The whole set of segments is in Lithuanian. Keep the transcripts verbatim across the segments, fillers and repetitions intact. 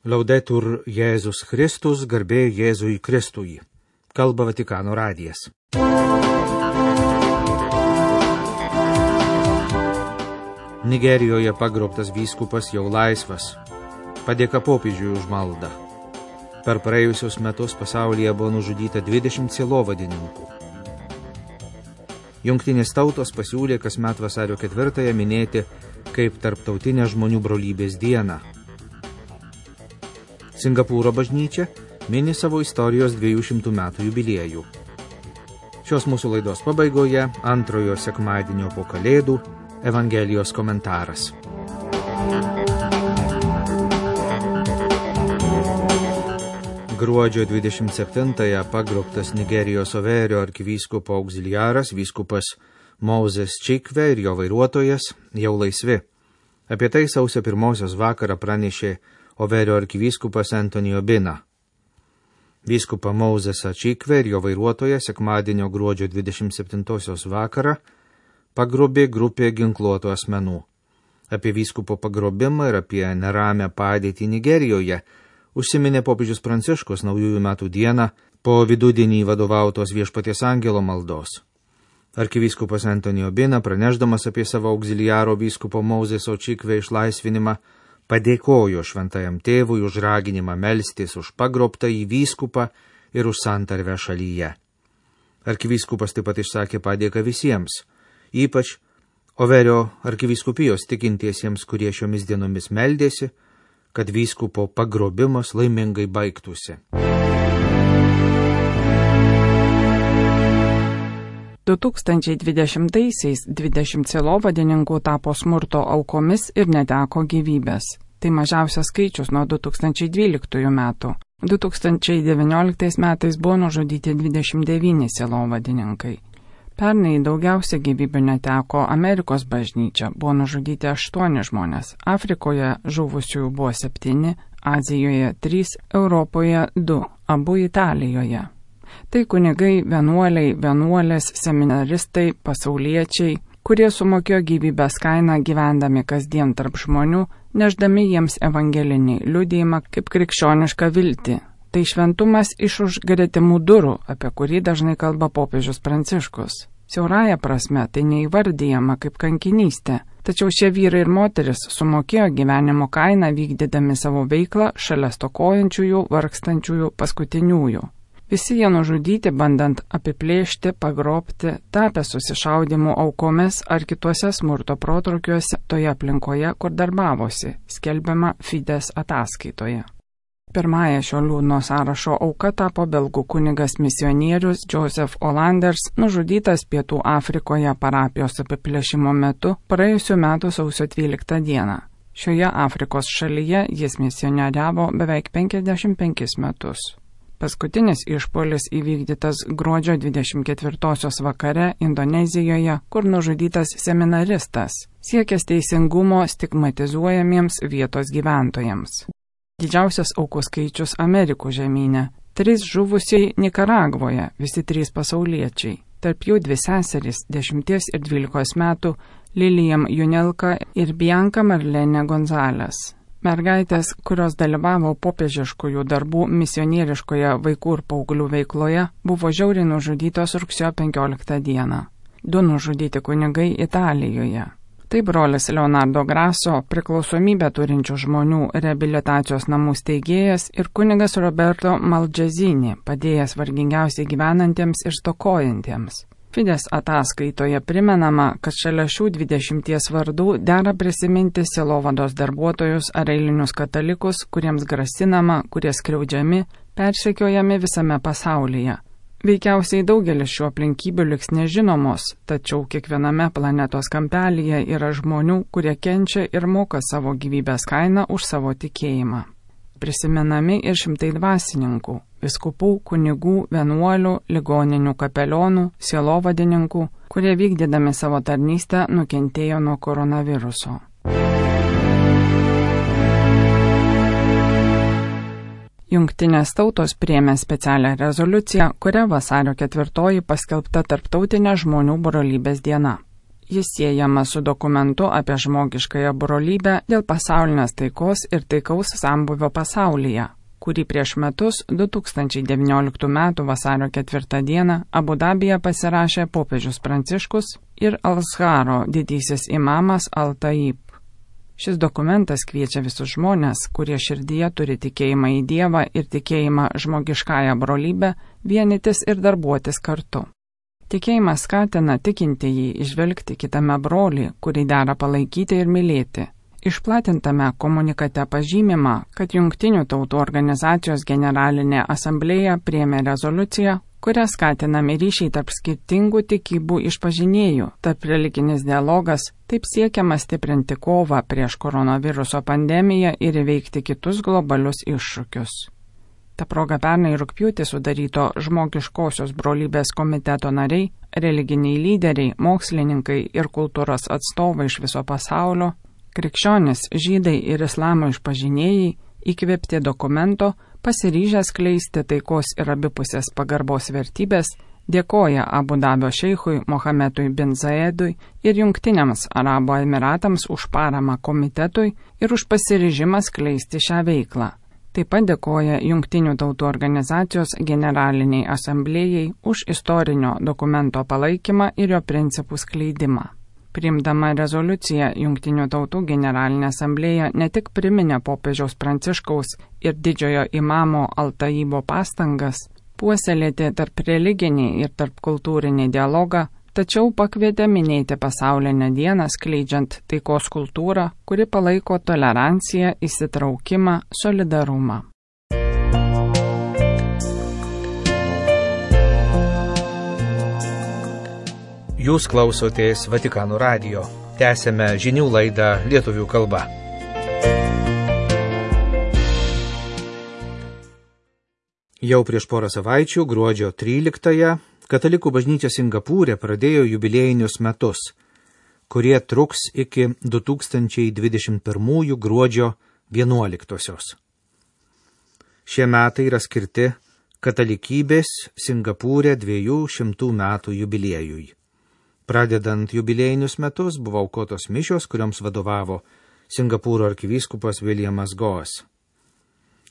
Laudetur Jėzus Kristus, garbė Jėzui Kristui. Kalba Vatikano radijas. Nigerijoje pagrobtas vyskupas jau laisvas. Padėka popiežiui už maldą. Per praėjusius metus pasaulyje buvo nužudyta dvidešimt sielovadininkų. Jungtinės tautos pasiūlė kasmet vasario ketvirtąją minėti kaip tarptautinę žmonių brolybės dieną. Singapūro bažnyčia mini savo istorijos dviejų šimtų metų jubiliejų. Šios mūsų laidos pabaigoje antrojo sekmadienio po Kalėdų Evangelijos komentaras. Gruodžio dvidešimt septintąją pagrobtas Nigerijos Overio arkivyskupo auxiliaras vyskupas Moses Chikve ir jo vairuotojas jau laisvi. Apie tai sausio pirmosios vakarą pranešė Overio arkivyskupas Anthony Obina. Vyskupą Mosesą Chikve ir jo vairuotoją sekmadienio gruodžio dvidešimt septintosios vakarą pagrobė grupė ginkluotų asmenų. Apie vyskupo pagrobimą ir apie neramią padėtį Nigerijoje užsiminė popiežius Pranciškus naujųjų metų dieną po vidudienį vadovautos Viešpaties angelo maldos. Arkivyskupas Anthony Obina, pranešdamas apie savo auxiliaro vyskupo Moseso Chikve išlaisvinimą, padėkojo šventajam tėvui už raginimą melstis už pagrobtą į vyskupą ir už santarvę šalyje. Arkivyskupas taip pat išsakė padėką visiems, ypač Overio arkivyskupijos tikintiesiems, kurie šiomis dienomis meldėsi, kad vyskupo pagrobimas laimingai baigtųsi. du tūkstančiai dvidešimtaisiais dvidešimt sielovadininkų tapo smurto aukomis ir neteko gyvybės. Tai mažiausias skaičius nuo du tūkstančiai dvyliktųjų metų. du tūkstančiai devynioliktais metais buvo nužudyti dvidešimt devyni sielovadininkai. Pernai daugiausia gyvybių neteko Amerikos bažnyčia, buvo nužudyti aštuoni žmonės. Afrikoje žuvusiųjų buvo septyni, Azijoje trys, Europoje du, abu Italijoje. Tai kunigai, vienuoliai, vienuolės, seminaristai, pasauliečiai, kurie sumokėjo gyvybės kainą gyvendami kasdien tarp žmonių, neždami jiems evangelinį liudijimą kaip krikščionišką viltį. Tai šventumas iš už gretimų durų, apie kurį dažnai kalba popiežius Pranciškus. Siaurąja prasme tai neįvardyjama kaip kankinystė, tačiau šie vyrai ir moteris sumokėjo gyvenimo kainą vykdydami savo veiklą šalia stokojančiųjų, vargstančiųjų, paskutiniųjų. Visi jie nužudyti, bandant apiplėšti, pagrobti, tapę susišaudimų aukomis ar kituose smurto protrukiuose toje aplinkoje, kur darbavosi, skelbiama Fides ataskaitoje. Pirmąją šio liūdno sąrašo auka tapo belgų kunigas misionierius Joseph Olanders, nužudytas Pietų Afrikoje parapijos apiplėšimo metu praėjusių metų sausio dvyliktą dieną. Šioje Afrikos šalyje jis misionieriavo beveik penkiasdešimt penkis metus. Paskutinis išpuolis įvykdytas gruodžio dvidešimt ketvirtosios vakare Indonezijoje, kur nužudytas seminaristas, siekęs teisingumo stigmatizuojamiems vietos gyventojams. Didžiausias aukų skaičius Amerikų žemyne. Trys žuvusiai Nikaragvoje, visi trys pasauliečiai. Tarp jų dvi seserys, dešimties ir dvylikos metų, Liliam Junelka ir Bianca Marlene Gonzales. Mergaitės, kurios dalyvavo popiežiškųjų darbų misionieriškoje vaikų ir paauglių veikloje, buvo žiauriai nužudytos rugsėjo penkioliktą dieną. Du nužudyti kunigai Italijoje. Tai brolis Leonardo Grasso, priklausomybę turinčių žmonių reabilitacijos namų steigėjas, ir kunigas Roberto Malgezini, padėjęs vargingiausiai gyvenantiems ir stokojantiems. Fides ataskaitoje primenama, kad šalia šių dvidešimties vardų dera prisiminti sielovados darbuotojus ar eilinius katalikus, kuriems grasinama, kurie skriaudžiami, persekiojami visame pasaulyje. Veikiausiai daugelis šių aplinkybių liks nežinomos, tačiau kiekviename planetos kampelyje yra žmonių, kurie kenčia ir moka savo gyvybės kainą už savo tikėjimą. Prisimenami ir šimtai dvasininkų, vyskupų, kunigų, vienuolių, ligoninių kapelionų, sielovadininkų, kurie vykdydami savo tarnystę nukentėjo nuo koronaviruso. Jungtinės tautos priėmė specialią rezoliuciją, kuria vasario ketvirtoji paskelbta tarptautinė žmonių brolybės diena. Jis siejamas su dokumentu apie žmogiškąją brolybę dėl pasaulinės taikos ir taikaus sambuvio pasaulyje, kurį prieš metus du tūkstančiai devynioliktų metų vasario ketvirtą dieną Abu Dabyje pasirašė popiežius Pranciškus ir Al-Azharo didysis imamas Al-Taib. Šis dokumentas kviečia visus žmonės, kurie širdyje turi tikėjimą į Dievą ir tikėjimą žmogiškąją brolybę, vienytis ir darbuotis kartu. Tikėjimas skatina tikintįjį išvelgti kitame brolį, kurį dera palaikyti ir mylėti. Išplatintame komunikate pažymima, kad Jungtinių tautų organizacijos generalinė asamblėja priėmė rezoliuciją, kuria skatinami ryšiai tarp skirtingų tikybų išpažinėjų, tarp religinis dialogas, taip siekiama stiprinti kovą prieš koronaviruso pandemiją ir įveikti kitus globalius iššūkius. Ta proga pernai rugpjūtį sudaryto žmogiškosios brolybės komiteto nariai, religiniai lyderiai, mokslininkai ir kultūros atstovai iš viso pasaulio, krikščionys, žydai ir islamo išpažinėjai, įkvėpti dokumento, pasiryžę skleisti taikos ir abipusės pagarbos vertybės, dėkoja Abu Dabio šeichui Mohamedui bin Zayedui ir Jungtiniams Arabų Emiratams už paramą komitetui ir už pasiryžimą skleisti šią veiklą. Taip pat dėkoja Jungtinių tautų organizacijos generaliniai asamblėjai už istorinio dokumento palaikymą ir jo principų skleidimą. Priimdama rezoliuciją, Jungtinių tautų generalinė asamblėja ne tik priminė popiežiaus Pranciškaus ir didžiojo imamo Al-Taibo pastangas puoselėti tarp religinį ir tarp kultūrinį dialogą, tačiau pakvietė minėti pasaulinę dieną skleidžiant taikos kultūrą, kuri palaiko toleranciją, įsitraukimą, solidarumą. Jūs klausotės Vatikano radijo. Tęsėme žinių laidą lietuvių kalba. Jau prieš porą savaičių, gruodžio tryliktąją, Katalikų bažnyčia Singapūre pradėjo jubiliejinius metus, kurie truks iki du tūkstančiai dvidešimt pirmųjų gruodžio vienuoliktosios. Šie metai yra skirti katalikybės Singapūre dviejų šimtų metų jubiliejui. Pradedant jubiliejinius metus buvo aukotos mišios, kurioms vadovavo Singapūro arkivyskupas Williamas Goas.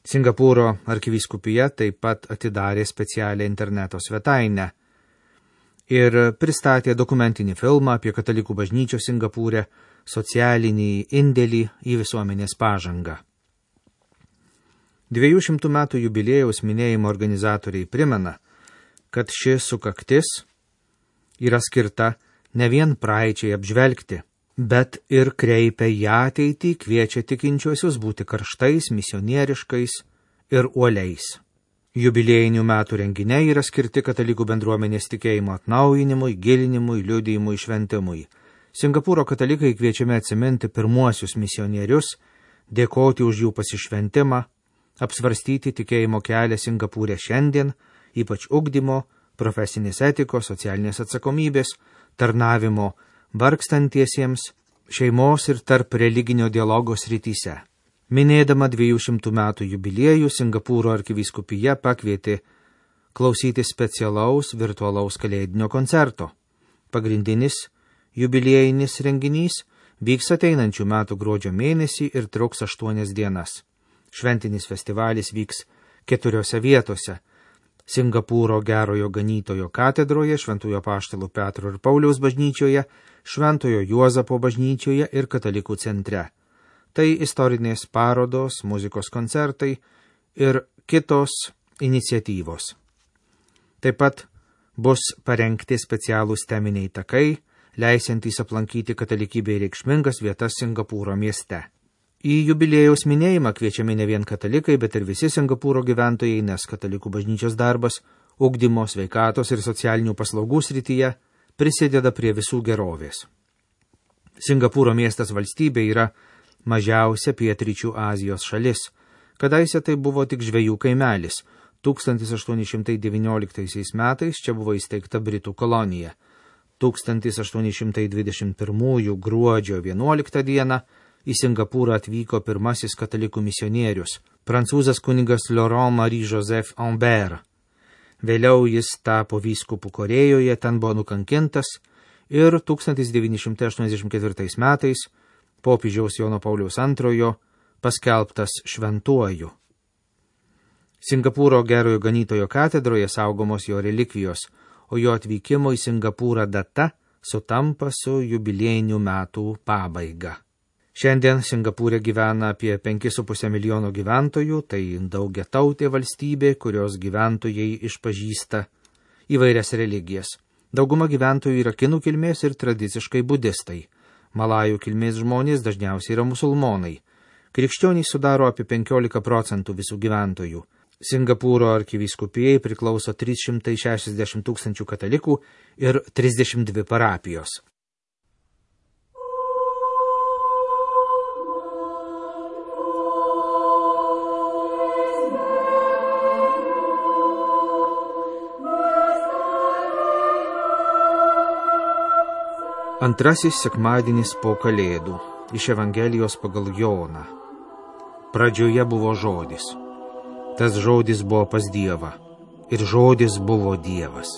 Singapūro arkivyskupija taip pat atidarė specialią interneto svetainę ir pristatė dokumentinį filmą apie katalikų bažnyčios Singapūre socialinį indėlį į visuomenės pažangą. Dviejų šimtų metų jubiliejaus minėjimo organizatoriai primena, kad ši sukaktis yra skirta ne vien praeičiai apžvelgti, bet ir kreipia į ateitį, kviečia tikinčiuosius būti karštais, misionieriškais ir uoliais. Jubiliejinių metų renginiai yra skirti katalikų bendruomenės tikėjimo atnaujinimui, gilinimui, liudijimui, šventimui. Singapūro katalikai kviečiami atsiminti pirmuosius misionierius, dėkoti už jų pasišventimą, apsvarstyti tikėjimo kelią Singapūre šiandien, ypač ugdymo, profesinės etikos, socialinės atsakomybės, tarnavimo vargstantiesiems, šeimos ir tarp religinio dialogo srityse. Minėdama dviejų šimtų metų jubiliejų, Singapūro arkivyskupija pakvietė klausyti specialaus virtualaus kalėdinio koncerto. Pagrindinis jubiliejinis renginys vyks ateinančių metų gruodžio mėnesį ir truks aštuonias dienas. Šventinis festivalis vyks keturiose vietose – Singapūro Gerojo Ganytojo katedroje, Šventojo Apaštalų Petro ir Pauliaus bažnyčioje, Šventojo Juozapo bažnyčioje ir Katalikų centre. Tai istorinės parodos, muzikos koncertai ir kitos iniciatyvos. Taip pat bus parengti specialūs teminiai takai, leisiantys aplankyti katalikybei reikšmingas vietas Singapūro mieste. Į jubiliejaus minėjimą kviečiami ne vien katalikai, bet ir visi Singapūro gyventojai, nes katalikų bažnyčios darbas, ugdymo, sveikatos ir socialinių paslaugų srityje prisideda prie visų gerovės. Singapūro miestas valstybė yra mažiausia pietryčių Azijos šalis. Kadaise tai buvo tik žvejų kaimelis. tūkstantis aštuoni šimtai devynioliktaisiais metais čia buvo įsteigta Britų kolonija. tūkstantis aštuoni šimtai dvidešimt pirmųjų gruodžio vienuoliktą dieną į Singapūrą atvyko pirmasis katalikų misionierius, prancūzas kunigas Laurent Marie Joseph Ambert. Vėliau jis tapo vyskupu Korėjoje, ten buvo nukankintas ir tūkstantis devyni šimtai aštuoniasdešimt ketvirtais metais popiežiaus Jono Pauliaus antrojo paskelbtas šventuoju. Singapūro Gerojo Ganytojo katedroje saugomos jo relikvijos, o jo atvykimo į Singapūrą data sutampa su jubiliejinių metų pabaiga. Šiandien Singapūre gyvena apie penki su puse milijono gyventojų, tai daugiatautė valstybė, kurios gyventojai išpažįsta įvairias religijas. Dauguma gyventojų yra kinų kilmės ir tradiciškai budistai. Malajų kilmės žmonės dažniausiai yra musulmonai. Krikščionys sudaro apie penkiolika procentų visų gyventojų. Singapūro arkivyskupijai priklauso trys šimtai šešiasdešimt tūkstančių katalikų ir trisdešimt dvi parapijos. Antrasis sekmadienis po Kalėdų iš Evangelijos pagal Joną. Pradžioje buvo žodis. Tas žodis buvo pas Dievą, ir žodis buvo Dievas.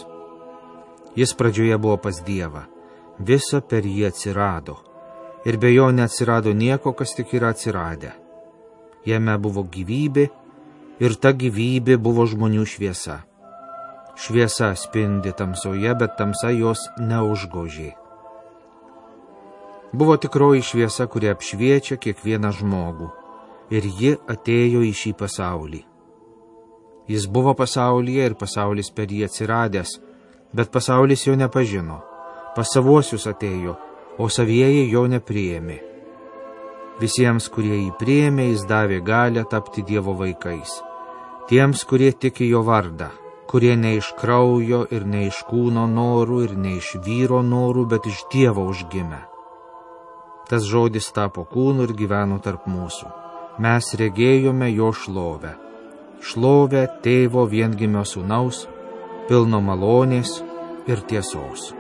Jis pradžioje buvo pas Dievą, visa per jį atsirado, ir be jo neatsirado nieko, kas tik yra atsiradę. Jame buvo gyvybė, ir ta gyvybė buvo žmonių šviesa. Šviesa spindi tamsoje, bet tamsa jos neužgožė. Buvo tikroji šviesa, kuri apšviečia kiekvieną žmogų, ir ji atėjo į šį pasaulį. Jis buvo pasaulyje ir pasaulis per jį atsiradęs, bet pasaulis jo nepažino. Pas savuosius atėjo, o savieji jo nepriėmė. Visiems, kurie jį priėmė, jis davė galią tapti Dievo vaikais. Tiems, kurie tiki jo vardą, kurie ne iš kraujo ir ne iš kūno norų ir ne iš vyro norų, bet iš Dievo užgimę. Tas žodis tapo kūnu ir gyveno tarp mūsų. Mes regėjome jo šlovę. Šlovę tėvo viengimio sūnaus, pilno malonės ir tiesos.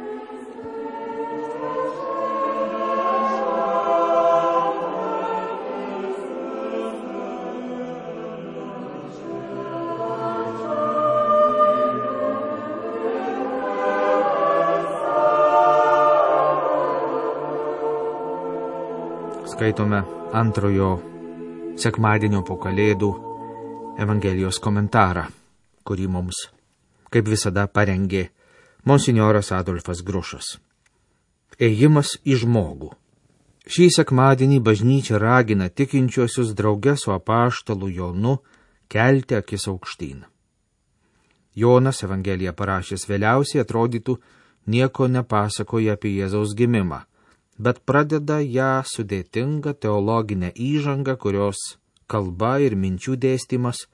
Skaitome antrojo sekmadienio po Kalėdų Evangelijos komentarą, kurį mums, kaip visada, parengė monsinjoras Adolfas Grušas. Ėjimas į žmogų. Šį sekmadienį bažnyčia ragina tikinčiuosius drauge su apaštalu Jonu kelti akis aukštyn. Jonas Evangeliją parašęs vėliausiai atrodytų nieko nepasakoja apie Jėzaus gimimą, bet pradeda ją sudėtingą teologinę įžangą, kurios kalba ir minčių dėstymas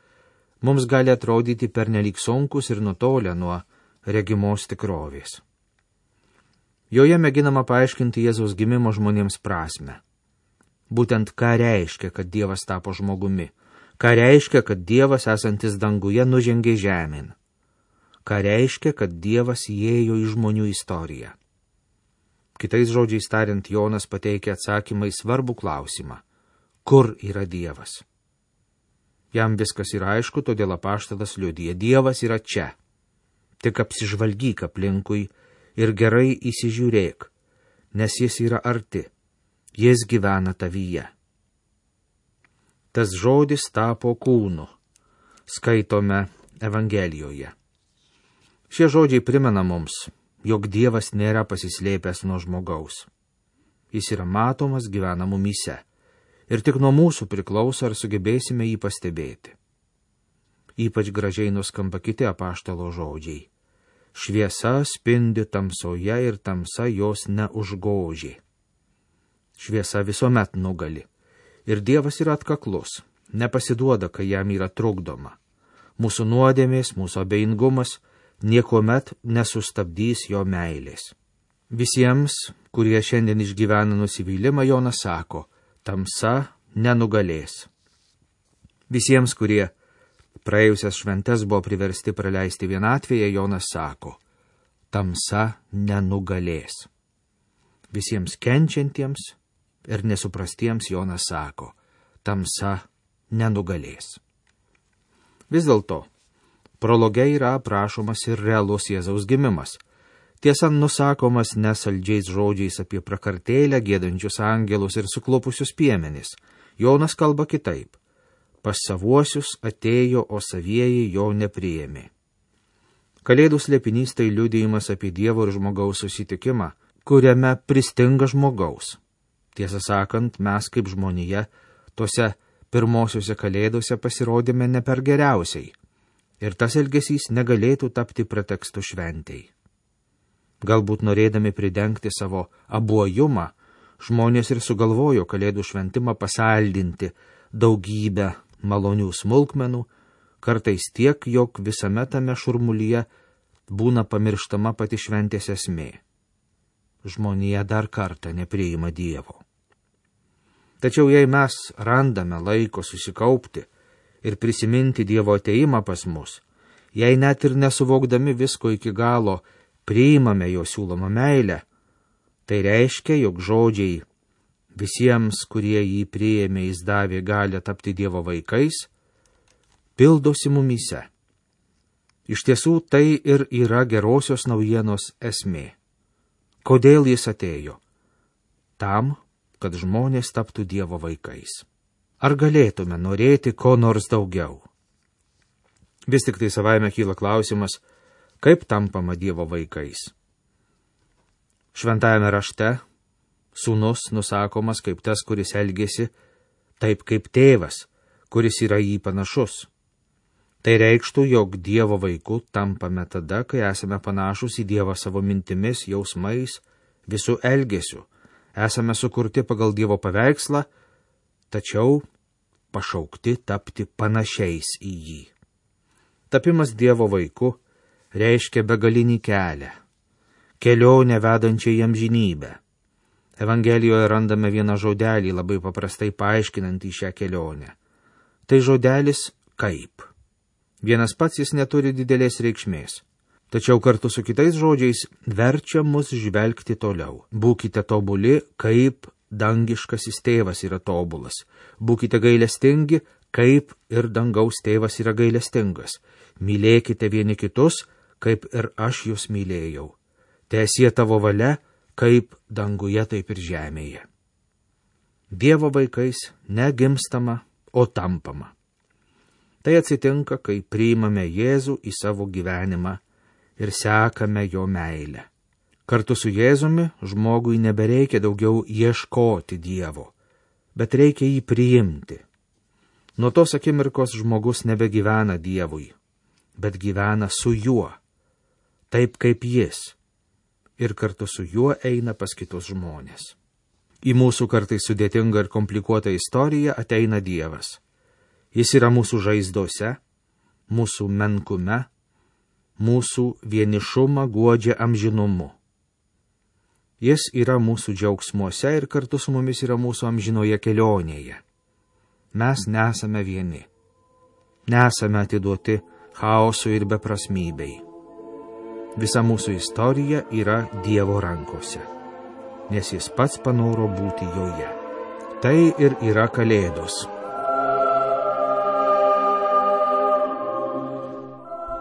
mums gali atrodyti pernelyg sunkus ir nutolę nuo regimos tikrovės. Joje mėginama paaiškinti Jėzaus gimimo žmonėms prasmę. Būtent ką reiškia, kad Dievas tapo žmogumi, ką reiškia, kad Dievas esantis danguje nužengė žemėn, ką reiškia, kad Dievas įėjo į žmonių istoriją. Kitais žodžiais tariant, Jonas pateikia atsakymą į svarbų klausimą. Kur yra Dievas? Jam viskas yra aišku, todėl apaštalas liudija, Dievas yra čia. Tik apsižvalgyk aplinkui ir gerai įsižiūrėk, nes jis yra arti, jis gyvena tavyje. Tas žodis tapo kūnu, skaitome Evangelijoje. Šie žodžiai primena mums, jog Dievas nėra pasislėpęs nuo žmogaus. Jis yra matomas, gyvena mumyse. Ir tik nuo mūsų priklauso, ar sugebėsime jį pastebėti. Ypač gražiai nuskamba kiti apaštalo žodžiai. Šviesa spindi tamsoje ir tamsa jos neužgožė. Šviesa visuomet nugali. Ir Dievas yra atkaklus, nepasiduoda, kai jam yra trukdoma. Mūsų nuodėmės, mūsų abejingumas niekuomet nesustabdys jo meilės. Visiems, kurie šiandien išgyvena nusivylimą, Jonas sako, tamsa nenugalės. Visiems, kurie praėjusias šventes buvo priversti praleisti vienatvėje, Jonas sako, tamsa nenugalės. Visiems kenčiantiems ir nesuprastiems Jonas sako, tamsa nenugalės. Vis dėlto, prologe yra aprašomas ir realus Jėzaus gimimas. Tiesa, nusakomas nesaldžiais žodžiais apie prakartėlę, gėdančius angelus ir suklupusius piemenis. Jonas kalba kitaip. Pas savuosius atėjo, o savieji jo nepriėmė. Kalėdų slėpinys tai liudijimas apie Dievo ir žmogaus susitikimą, kuriame pristinga žmogaus. Tiesą sakant, mes kaip žmonija tose pirmosiuose kalėdose pasirodėme ne per geriausiai, ir tas elgesys negalėtų tapti pretekstu šventei. Galbūt norėdami pridengti savo abuojumą, žmonės ir sugalvojo kalėdų šventimą pasaldinti daugybę malonių smulkmenų, kartais tiek, jog visame tame šurmulyje būna pamirštama pati šventės esmė. Žmonija dar kartą nepriima Dievo. Tačiau jei mes randame laiko susikaupti ir prisiminti Dievo ateimą pas mus, jei net ir nesuvokdami visko iki galo priimame jo siūlomą meilę, tai reiškia, jog žodžiai visiems, kurie jį priėmė, jis davė galią tapti Dievo vaikais, pildosi mumyse. Iš tiesų tai ir yra gerosios naujienos esmė. Kodėl jis atėjo? Tam, kad žmonės taptų Dievo vaikais. Ar galėtume norėti ko nors daugiau? Vis tik tai savaime kyla klausimas, kaip tampama Dievo vaikais. Šventajame rašte sūnus nusakomas kaip tas, kuris elgėsi taip kaip tėvas, kuris yra jį panašus. Tai reikštų, jog Dievo vaiku tampame tada, kai esame panašus į Dievą savo mintimis, jausmais, visų elgesiu. Esame sukurti pagal Dievo paveikslą, tačiau pašaukti tapti panašiais į jį. Tapimas Dievo vaiku reiškia begalinį kelią, kelionę vedančią į amžinybę. Evangelijoje randame vieną žodelį, labai paprastai paaiškinantį šią kelionę. Tai žodelis kaip. Vienas pats jis neturi didelės reikšmės, tačiau kartu su kitais žodžiais verčia mus žvelgti toliau. Būkite tobuli, kaip dangiškasis tėvas yra tobulas. Būkite gailestingi, kaip ir dangaus tėvas yra gailestingas. Mylėkite vieni kitus, kaip ir aš jūs mylėjau. Teesie tavo valia, kaip danguje, taip ir žemėje. Dievo vaikais negimstama, o tampama. Tai atsitinka, kai priimame Jėzų į savo gyvenimą ir sekame jo meilę. Kartu su Jėzumi žmogui nebereikia daugiau ieškoti Dievo, bet reikia jį priimti. Nuo tos akimirkos žmogus nebegyvena Dievui, bet gyvena su juo, taip kaip jis, ir kartu su juo eina pas kitus žmonės. Į mūsų kartais sudėtingą ir komplikuotą istoriją ateina Dievas. Jis yra mūsų žaizdose, mūsų menkume, mūsų vienišumą guodžia amžinumu. Jis yra mūsų džiaugsmuose ir kartu su mumis yra mūsų amžinoje kelionėje. Mes nesame vieni. Nesame atiduoti chaosui ir beprasmybei. Visa mūsų istorija yra Dievo rankose, nes jis pats panoro būti joje. Tai ir yra Kalėdos.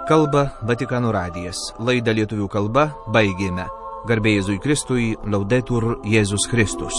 Kalba Vatikano radijas. Laidą lietuvių kalba baigėme. Garbė Jėzui Kristui, Laudetur Jėzus Kristus.